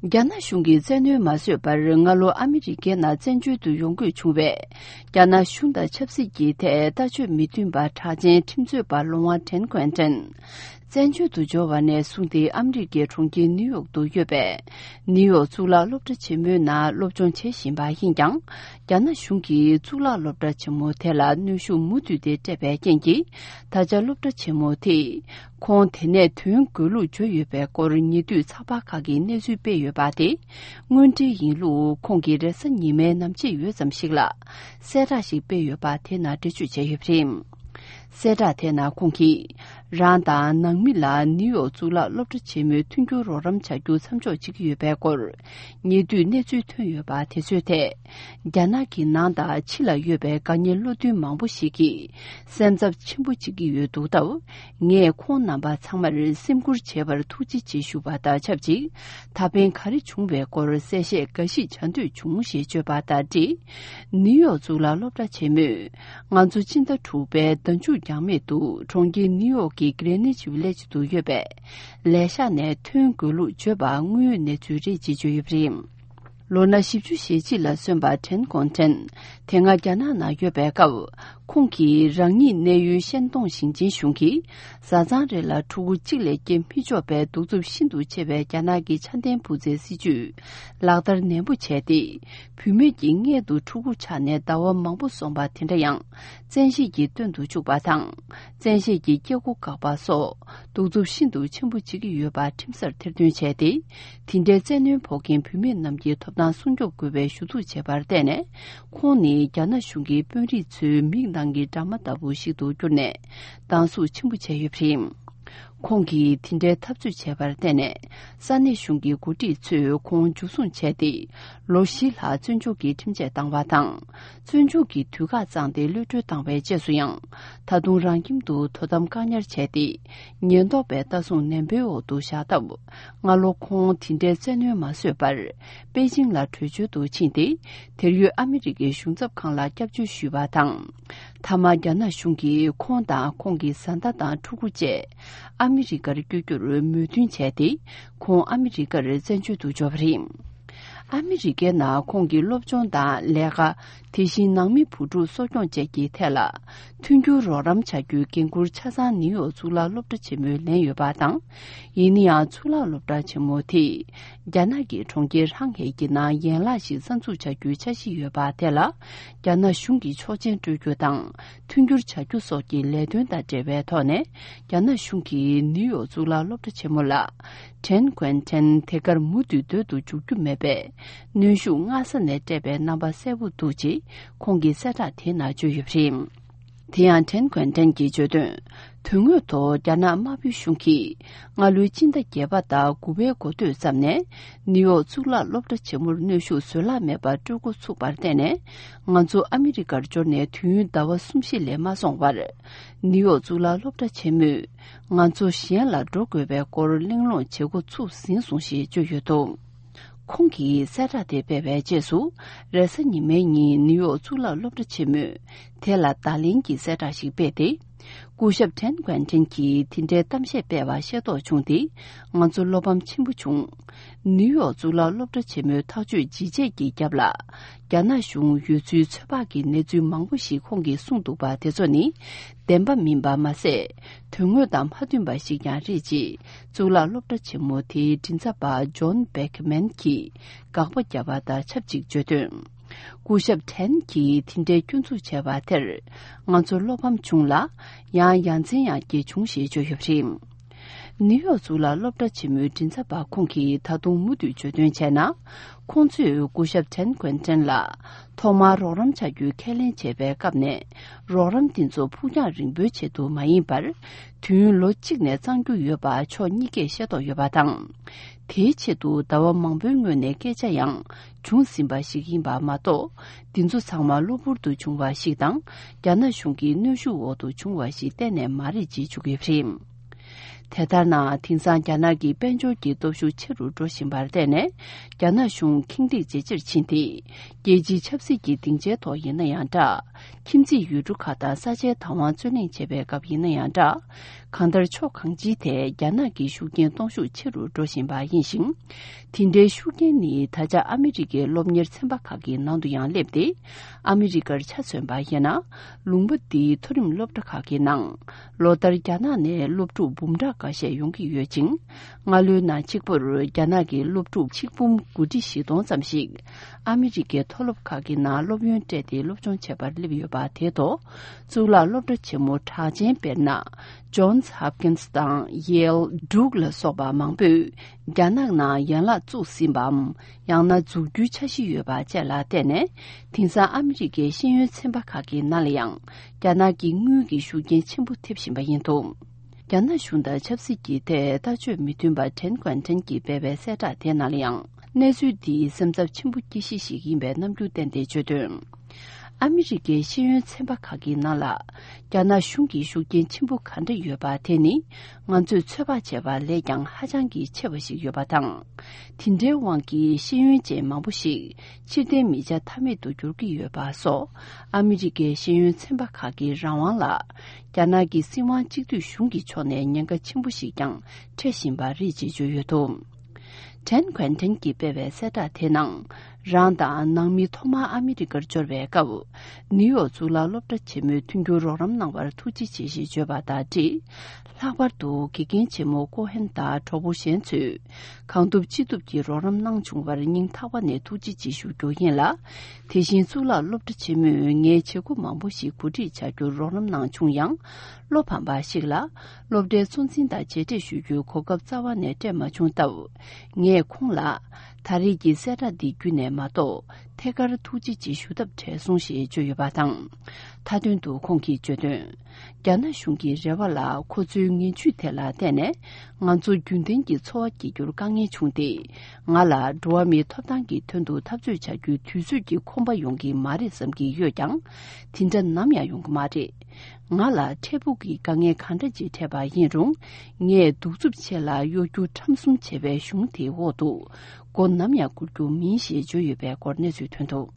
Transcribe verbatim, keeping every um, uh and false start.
རྒྱ་ནག་གཞུང་གིས་བཙན་གནོན་མ་བཟོས་པར་སྔ་ལོ་ཨ་མི་རི་ཀའི་ནང་བཙན་བྱོལ་དུ་ཡོང་དགོས་བྱུང་བའི་རྒྱ་ནག་གཞུང་དང་ཆབ་སྲིད་ཀྱི་ཐད་ལྟ་སྤྱོད་མི་མཐུན་པ་གྲགས་ཅན་ཁྲིམས་རྩོད་པ་ལོང་བ་ཁྲེན་ཀོན་ཀྲེན། བཙན་བྱོལ་དུ་འབྱོར་བ་ནས་བཟུང་སྟེ་ཨ་མི་རི་ཀའི་གྲོང་ཁྱེར་ནིའུ་ཡོག་ཏུ་ཡོད་པའི་ནིའུ་ཡོག་གཙུག་ལག་སློབ་གྲྭ་ཆེན་མོའི་ནང་སློབ་སྦྱོང་བྱེད་བཞིན་པ་ཡིན་ཀྱང་། རྒྱ་ནག་གཞུང་གིས་གཙུག་ལག་སློབ་གྲྭ་ཆེན་མོ་དེ་ལ་གནོན་ཤུགས་མུ་མཐུད་དེ་སྤྲད་པའི་རྐྱེན་གྱིས། ད་ཆ་སློབ་གྲྭ་ཆེན་མོ་དེས་ཁོང་དེ་ནས་ཐོན་དགོས་ལུགས་བརྗོད་ཡོད་པའི་སྐོར་ཉེ་དུས་ཚགས་པར་ཁག་གིས་གནས་ཚུལ་སྤེལ་ཡོད་པ་དེ། དངོས་འབྲེལ་ཡིན་ལུགས་ཁོང་གིས་རེས་གཟའ་ཉི་མའི་ནམ་ཕྱེད་ཡོལ་ཙམ་ཞིག་ལ་གསལ་བསྒྲགས་ཤིག་སྤེལ་ཡོད་པ་དེ་ནང་འགྲེལ་བརྗོད་བྱས་ཡོད་པ་རེད། གསལ་བསྒྲགས་དེ་ནང་ཁོང་གིས། རང་དང་ནང་མི་ལ་ནིའུ་ཡོག་གཙུག་ལག་སློབ་གྲྭ་ཆེན་མོའི་མཐུན་འགྱུར་རོགས་རམ་བྱ་རྒྱུ་མཚམས་འཇོག་བྱེད་ཀྱི་ཡོད་པའི་སྐོར། ཉེ་དུས་གནས་ཚུལ་ཐོན་ཡོད་པ་དེ་ཚོའི་ཐད། རྒྱ་ནག་གི་ནང་དང་ཕྱི་ལ་ཡོད་པའི་དགའ་ཉེ་བློ་མཐུན་མང་པོ་ཞིག་གིས་སེམས་འཚབ་ཆེན་པོ་བྱེད་ཀྱི་ཡོད་འདུག་སྟབས། ངས་ཁོང་རྣམ་པ་ཚང་མར་སེམས་ཁུར་བྱེད་པར་ཐུགས་རྗེ་ཆེ་ཞུ་བ་དང་ཆབས་ཅིག་ད་ཕན་ག་རེ་བྱུང་བའི་སྐོར་གསལ་བཤད་འགའ་ཞིག་བྱ་འདོད་བྱུང་ཞེས་བརྗོད་པ་དང་འབྲེལ། ནིའུ་ཡོག་གཙུག་ལག་སློབ་གྲྭ་ཆེན་མོས། ང་ཚོ་སྤྱི་ཟླ་དྲུག་པའི་ཟླ་མཇུག་འགྱངས་མེད་དུ་གྲོང་ཁྱེར་ནིའུ་ཡོག་གི་གྷི་རེ་ནིཆ་ཝི་ལེཇ་དུ་ཡོད་པའི་ལས་ཤག་ནས་ཐོན་དགོས་ལུགས་བརྗོད་པ་དངོས་ཡོད་གནས་ཚུལ་རེད་ཅེས་བརྗོད་ཡོད་པ་རེད། ལོ་ན་བཞི་བཅུ་ཞེ་གཅིག་ལ་སོན་པ་ཁྲེན་ཀོང་ཁྲེན། དེ་སྔ་རྒྱ་ནག་ནང་ཡོད་པའི་སྐབས། ཁོང་གིས་རང་ཉིད་གནས་ཡུལ་ཤན་ཏུང་ཞིང་ཆེན་གཞུང་གིས། བཟའ་ཚང་རེ་ལ་ཕྲུ་གུ་གཅིག་ལས་སྐྱེ་མི་ཆོག་པའི་གདུག་རྩུབ་ཤིན་ཏུ་ཆེ་བའི་རྒྱ་ནག་གི་ཆ་ལྡན་བུ་བཙའི་སྲིད་ཇུས། ལག་བསྟར་ནན་པོ་བྱས་ཏེ། བུད་མེད་ཀྱི་མངལ་དུ་ཕྲུ་གུ་ཆགས་ནས་ཟླ་བ་མང་པོ་སོང་བ་དེ་འདྲ་ཡང་། བཙན་ཤེད་ཀྱིས་སྟོན་དུ་བཅུག་པ་དང་། བཙན་ཤེད་ཀྱིས་སྐྱེ་སྒོ་བཀག་པ་སོགས་གདུག་རྩུབ་ཤིན་ཏུ་ཆེན་པོ་བྱེད་ཀྱི་ཡོད་པ་ཁྲིམས་སར་ཐེར་འདོན་བྱས་ཏེ། དེ་འདྲའི་བཙན་གནོན་ཕོག་མཁན་བུད་མེད་རྣམས་ཀྱི་ཐོབ་ཐང་སྲུང་སྐྱོབ་དགོས་པའི་ཞུ་གཏུག་བྱས་པར་བརྟེན་ནས། ཁོང་ནི་རྒྱ་ནག་གཞུང་གི་དཔོན་རིགས་ཚོའི་མིག་ནང་གི་ཌ་ར་མ་ལྟ་བུ་ཞིག་ཏུ་གྱུར་ནས་སྡང་ཟུག་ཆེན་པོ་བྱས་ཡོད་པ་རེད། ཁོང་གིས་དེ་འདྲའི་འཐབ་རྩོད་བྱས་པར་བརྟེན་ནས། ས་གནས་གཞུང་གི་འགོ་ཁྲིད་ཚོས་ཁོང་འཇུ་བཟུང་བྱས་ཏེ། ལོ་བཞི་ལྷག་བཙོན་འཇུག་གི་ཁྲིམས་ཆད་བཏང་བ་དང་། བཙོན་འཇུག་གི་དུས་བཀག་བརྩམས་ཏེ་གློད་གྲོལ་བཏང་བའི་རྗེས་སུ་ཡང་། ད་དུང་རང་ཁྱིམ་དུ་དོ་དམ་བཀག་ཉར་བྱས་ཏེ། ཉེན་རྟོག་པའི་ལྟ་སྲུང་ནན་པོའི་འོག་ཏུ་བཞག་སྟབས། སྔ་ལོ་ཁོང་དེ་འདྲའི་བཙན་གནོན་མ་བཟོད་པར། པེ་ཅིང་ལ་བྲོས་བྱོལ་དུ་ཕྱིན་ཏེ། དེར་ཡོད་ཨ་མི་རི་ཀའི་གཞུང་ཚབ་ཁང་ལ་སྐྱབས་བཅོལ་ཞུས་པ་དང་། མཐའ་མ་རྒྱ་ནག་གཞུང་གིས་ཁོང་དང་ཁོང་གི་བཟའ་ཟླ་དང་ཕྲུ་གུ་བཅས། ཨ་མི་རི་ཀར་བསྐྱོད་རྒྱུར་མོས་མཐུན་བྱས་ཏེ། ཁོང་ཨ་མི་རི་ཀར་བཙན་བྱོལ་དུ་འབྱོར་བ་རེད། ཨ་མི་རི་ཀའི་ནང་ཁོང་གི་སློབ་སྦྱོང་དང་ལས་ཀ། དེ་བཞིན་ནང་མི་བུ་ཕྲུག་གསོ་སྐྱོང་བཅས་ཀྱི་ཐད་ལ། མཐུན་འགྱུར་རོགས་རམ་བྱ་རྒྱུའི་འགན་འཁུར་ཆ་ཚང་ནིའུ་ཡོག་གཙུག་ལག་སློབ་གྲྭ་ཆེན་མོས་ལེན་ཡོད་པ་དང་། ཡིན་ན་ཡང་གཙུག་ལག་སློབ་གྲྭ་ཆེན་མོ་དེས། རྒྱ་ནག་གི་གྲོང་ཁྱེར་ཧྲང་ཧའེ་གྱི་ནང་ཡན་ལག་ཞིག་གསར་འཛུགས་བྱ་རྒྱུའི་འཆར་གཞི་ཡོད་པ་དེ་ལ། རྒྱ་ནག་གཞུང་གིས་ཆོག་མཆན་སྤྲོད་རྒྱུ་དང་། མཐུན་འགྱུར་བྱ་རྒྱུ་སོགས་ཀྱི་ལས་དོན་དང་འབྲེལ་བའི་ཐོག་ནས། རྒྱ་ནག་གཞུང་གིས་ནིའུ་ཡོག་གཙུག་ལག་སློབ་གྲྭ་ཆེན་མོ་ལ། ཁྲེན་ཀོན་ཁྲེན་དེ་གར་མུ་མཐུད་སྡོད་དུ་འཇུག་རྒྱུ་མེད་པའི། གནོན་ཤུགས་སྔ་ས་ནས་སྤྲད་པའི་རྣམ་པ་གསལ་པོ་འདུག་ཅེས། ཁོང་གིས་གསལ་བསྒྲགས་དེའི་ནང་བརྗོད་ཡོད་པ་རེད། དེ་ཡང་ཁྲེན་ཀོན་ཁྲེན་གྱིས་བརྗོད་དོན། དོན་དངོས་ཐོག་རྒྱ་ནག་དམར་པོའི་གཞུང་གིས། སྔ་ལོའི་སྤྱི་ཟླ་བརྒྱད་པ་དང་དགུ་པའི་འགོ་སྟོད་ཙམ་ནས། ནིའུ་ཡོག་གཙུག་ལག་སློབ་གྲྭ་ཆེན་མོར་གནོན་ཤུགས་བཟོད་གླགས་མེད་པར་སྤྲོད་འགོ་ཚུགས་པར་བརྟེན་ནས། ང་ཚོ་ཨ་མི་རི་ཀར་འབྱོར་ནས་དུས་ཡུན་ཟླ་བ་གསུམ་བཞི་ལས་མ་སོང་བར། ནིའུ་ཡོག་གཙུག་ལག་སློབ་གྲྭ་ཆེན་མོས། ང་ཚོ་གཞན་ལ་འགྲོ་དགོས་པའི་སྐོར་གླེང་སློང་བྱེད་འགོ་ཚུགས་ཟིན་སོང་ཞེས་བརྗོད་ཡོད་འདུག་ཁོང་གིས་གསལ་བསྒྲགས་དེ་སྤེལ་བའི་རྗེས་སུ། རེས་གཟའ་ཉི་མའི་ཉིན་ནིའུ་ཡོག་གཙུག་ལག་སློབ་གྲྭ་ཆེན་མོས། དེ་ལ་བརྡ་ལན་གྱི་གསལ་བསྒྲགས་ཤིག་སྤེལ་ཏེ། སྐུ་ཞབས་ཁྲེན་ཀོན་ཁྲེན་གྱིས་དེ་འདྲའི་གཏམ་བཤད་སྤེལ་བ་ཤེས་རྟོགས་བྱུང་སྟེ། ང་ཚོ་བློ་ཕམ་ཆེན་པོ་བྱུང་། ནིའུ་ཡོག་གཙུག་ལག་སློབ་གྲྭ་ཆེན་མོའི་ཐག་གཅོད་ཇི་བྱས་ཀྱི་རྒྱབ་ལ། རྒྱ་ནག་གཞུང་ཡོད་ཚུལ་ཚོད་དཔག་གི་གནས་ཚུལ་མང་པོ་ཞིག་ཁོང་གིས་གསུངས་འདུག་པ་དེ་ཚོ་ནི། བདེན་པ་མིན་པ་མ་ཟད། དོན་དངོས་དང་མ་མཐུན་པ་ཞིག་ཀྱང་རེད་ཅེས། གཙུག་ལག་སློབ་གྲྭ་ཆེན་མོ་དེའི་མགྲིན་ཚབ་པ་ཇོན་བེག་མན་གྱིས་དགག་པ་བརྒྱབ་པ་དང་ཆབས་ཅིག་བརྗོད་དོན། སྐུ་ཞབས་ཁྲེན་གྱིས་དེ་འདྲའི་སྐྱོན་འཛུགས་བྱས་པ་དེར། ང་ཚོ་བློ་ཕམ་བྱུང་ལ། ཡང་ཡ་མཚན་ཡང་སྐྱེས་བྱུང་ཞེས་བརྗོད་ཡོད་པ་རེད། ནིའུ་ཡོག་གཙུག་ལག་སློབ་གྲྭ་ཆེན་མོའི་མགྲིན་ཚབ་པ་ཁོང་གིས་ད་དུང་མུ་མཐུད་བརྗོད་དོན་བྱས་ན། ཁོང་ཚོས་སྐུ་ཞབས་ཁྲེན་ཀོན་ཀྲེན་ལ། ཐོག་མར་རོགས་རམ་བྱ་རྒྱུའི་ཁས་ལེན་བྱས་པའི་སྐབས་ནས། རོགས་རམ་འདི་ཚོ་ཕུགས་རྒྱང་རིང་པོའི་ཆེད་དུ་མ་ཡིན་པར། དུས་ཡུན་ལོ་གཅིག་ནས་གཙང་རྒྱུ་ཡོད་པ་ཕྱོགས་གཉིས་ཀས་ཤེས་རྟོགས་ཡོད་པ་དང་། དེའི་ཆེད་དུ་ཟླ་བ་མང་པོའི་སྔོན་ནས་སྐད་ཆ་ཡང་བྱུང་ཟིན་པ་ཞིག་ཡིན་པ་མ་གཏོགས། འདི་ཚོ་ཚང་མ་གློ་བུར་དུ་བྱུང་བ་ཞིག་དང་། རྒྱ་ནག་གཞུང་གི་གནོན་ཤུགས་འོག་ཏུ་བྱུང་བ་ཞིག་གཏན་ནས་མ་རེད་ཅེས་བརྗོད་ཀྱི་རེད། དེ་ལྟར་ན། དེང་སང་རྒྱ་ནག་གི་དཔལ་འབྱོར་གྱི་སྟོབས་ཤུགས་ཆེ་རུ་འགྲོ་བཞིན་པར་བརྟེན་ནས། རྒྱ་ནག་གཞུང་ཁེངས་དྲེགས་ཇེ་ཆེར་ཕྱིན་ཏེ། རྒྱལ་སྤྱིའི་ཆབ་སྲིད་ཀྱི་སྡིངས་ཆའི་ཐོག་ཡིན་ན་ཡང་འདྲ། ཁྱིམ་མཚེས་ཡུལ་གྲུ་ཁག་དང་ས་ཆའི་བདག་དབང་རྩོད་གླེང་བྱེད་པའི་སྐབས་ཡིན་ན་ཡང་འདྲ། གང་ལྟར་ཕྱོགས་གང་ཅིའི་ཐད་རྒྱ་ནག་གི་ཤུགས་རྐྱེན་གཏོང་ཤུགས་ཆེ་རུ་འགྲོ་བཞིན་པ་ཡིན་ཞིང་། དེ་འདྲའི་ཤུགས་རྐྱེན་ནི་ད་ཆ་ཨ་མི་རི་ཀའི་སློབ་གཉེར་ཚན་པ་ཁག་གི་ནང་དུ་ཡང་སླེབས་ཏེ། ཨ་མི་རི་ཀར་ཆ་མཚོན་པ་ཡིན་ན། ལུང་པ་འདིའི་མཐོ་རིམ་སློབ་གྲྭ་ཁག་གི་ནང་། ལོ་ལྟར་རྒྱ་ནག་ནས་སློབ་ཕྲུག་འབུམ་ཕྲག་འགའ་ཤས་ཡོང་གི་ཡོད་ཅིང་། སྔ་ལོའི་ནང་གཅིག་པུར་རྒྱ་ནག་གི་སློབ་ཕྲུག་ཆིག་འབུམ་དགུ་ཁྲི་བཞི་སྟོང་ཙམ་ཞིག་ཨ་མི་རི་ཀའི་མཐོ་སློབ་ཁག་གི་ནང་སློབ་ཡོན་སྤྲད་དེ་སློབ་སྦྱོང་བྱེད་པར་སླེབས་ཡོད་པ་དེ་ཐོག་གཙུག་ལག་སློབ་གྲྭ་ཆེན་མོ་གྲགས་ཅན་དཔེར་ན། Johns Hopkins དང་Yale, Duke ལ་སོགས་པ་མང་པོས་རྒྱ་ནག་ནང་ཡན་ལག་བཙུགས་ཟིན་པའམ། ཡང་ན་འཛུགས་རྒྱུའི་འཆར་གཞི་ཡོད་པ་བཅས་ལ་བརྟེན་ནས། དེང་སང་ཨ་མི་རི་ཀའི་ཤེས་ཡོན་ཚན་པ་ཁག་གི་ནང་ལ་ཡང་རྒྱ་ནག་གི་དངུལ་གྱི་ཤུགས་རྐྱེན་ཆེན་པོ་ཐེབས་བཞིན་པ་ཡིན་འདུག་རྒྱ་ནག་གཞུང་དང་ཆབ་སྲིད་ཀྱི་ཐད་ལྟ་སྤྱོད་མི་མཐུན་པ་ཊན་ཀོན་ཊན་གྱིས་སྤེལ་བའི་གསལ་བསྒྲགས་དེ་ནང་ལ་ཡང་། གནས་ཚུལ་འདིས་སེམས་འཚབ་ཆེན་པོ་སྐྱེ་གཞི་ཞིག་ཡིན་པའི་རྣམ་འགྱུར་བསྟན་ཏེ་བརྗོད་དོན། ཨ་མི་རི་ཀའི་ཤེས་ཡོན་ཚན་པ་ཁག་གི་ནང་ལ། རྒྱ་ནག་གཞུང་གི་ཤུགས་རྐྱེན་ཆེན་པོ་ག་འདྲ་ཡོད་པ་དེ་ནི། ང་ཚོས་ཚོད་དཔག་བྱས་པ་ལས་ཀྱང་ཧ་ཅང་གི་ཆེ་བ་ཞིག་ཡོད་པ་དང་། དེ་འདྲའི་དབང་གིས་ཤེས་ཡོན་ཅན་མང་པོ་ཞིག་ཕྱིར་འཐེན་མི་བྱ་ཐབས་མེད་དུ་འགྱུར་གྱི་ཡོད་པ་སོགས། ཨ་མི་རི་ཀའི་ཤེས་ཡོན་ཚན་པ་ཁག་གི་རང་དབང་ལ། རྒྱ་ནག་གི་སྲིད་དབང་གཅིག་སྡུད་གཞུང་གི་ཕྱོགས་ནས་ཉེན་ཁ་ཆེན་པོ་ཞིག་ཀྱང་འཕྲད་བཞིན་པ་རེད་ཅེས་བརྗོད་ཡོད་འདུག་ཊན་ཀོན་ཊན་གྱིས་སྤེལ་བའི་གསལ་བསྒྲགས་དེའི་ནང་། རང་དང་ནང་མི་ཐོག་མར་ཨ་མི་རི་ཀར་འབྱོར་བའི་སྐབས། ནིའུ་ཡོག་གཙུག་ལག་སློབ་གྲྭ་ཆེན་མོའི་མཐུན་འགྱུར་རོགས་རམ་གནང་བར་ཐུགས་རྗེ་ཆེ་ཞེས་བརྗོད་པ་དང་འབྲེལ། ལྷག་པར་དུ་དགེ་རྒན་ཆེན་མོ་ཀོ་ཧན་དང་གྲོགས་པོ་གཞན་ཚོས་གང་ཐུབ་ཅི་ཐུབ་ཀྱིས་རོགས་རམ་གནང་བྱུང་བར་སྙིང་ཐག་པ་ནས་ཐུགས་རྗེ་ཆེ་ཞུ་རྒྱུ་ཡིན་ལ། དེ་བཞིན་གཙུག་ལག་སློབ་གྲྭ་ཆེན་མོས་ངའི་བྱེད་སྒོ་མང་པོ་ཞིག་གོ་སྒྲིག་བྱ་རྒྱུར་རོགས་རམ་གནང་བྱུང་ཡང་། བློ་ཕམ་པ་ཞིག་ལ། སློབ་གྲྭའི་གཙོ་འཛིན་དང་མཇལ་འཕྲད་ཞུ་རྒྱུའི་གོ་སྐབས་རྩ་བ་ནས་སྤྲད་མ་བྱུང་སྟབས། ངས་ཁོང་ལ། ད་རེས་ཀྱི་གསལ་བསྒྲགས་འདི་བརྒྱུད་ནས་མ་གཏོགས། ཐད་ཀར་ཐུགས་རྗེ་ཆེ་ཞུ་ཐབས་བྲལ་སོང་ཞེས་བརྗོད་ཡོད་པ་དང་། མཐའ་དོན་དུ་ཁོང་གིས་བརྗོད་དོན། རྒྱ་ནག་གཞུང་གི་རེ་བ་ལ་ཁོ་ཚོའི་ངན་ཇུས་དེ་ལ་བརྟེན་ནས། ང་ཚོ་རྒྱུན་ལྡན་གྱི་འཚོ་བ་སྐྱེལ་རྒྱུར་དཀའ་ངལ་བྱུང་སྟེ། ང་ལ་འགྲོ་བ་མིའི་ཐོབ་ཐང་གི་དོན་དུ་འཐབ་རྩོད་བྱ་རྒྱུའི་དུས་ཚོད་ཀྱི་ཁོམ་པ་ཡོང་གི་མ་རེད་བསམ་གྱི་ཡོད་ཀྱང་། དེ་འདྲ་ནམ་ཡང་ཡོང་གི་མ་རེད། ང་ལ་འཕྲལ་ཕུགས་ཀྱི་དཀའ་ངལ་གང་འདྲ་ཅིག་འཕྲད་པ་ཡིན་རུང་། ངས་གདུག་རྩུབ་ཆེ་ལ་གཡོ་སྒྱུ་ཁྲམ་གསུམ་བྱས་པའི་གཞུང་དེའི་འོག་ཏུ། མགོ་ནམ་ཡང་སྒུར་རྒྱུ་མིན་ཞེས་བརྗོད་ཡོད་པའི་སྐོར་གནས་ཚུལ་ཐོན་འདུག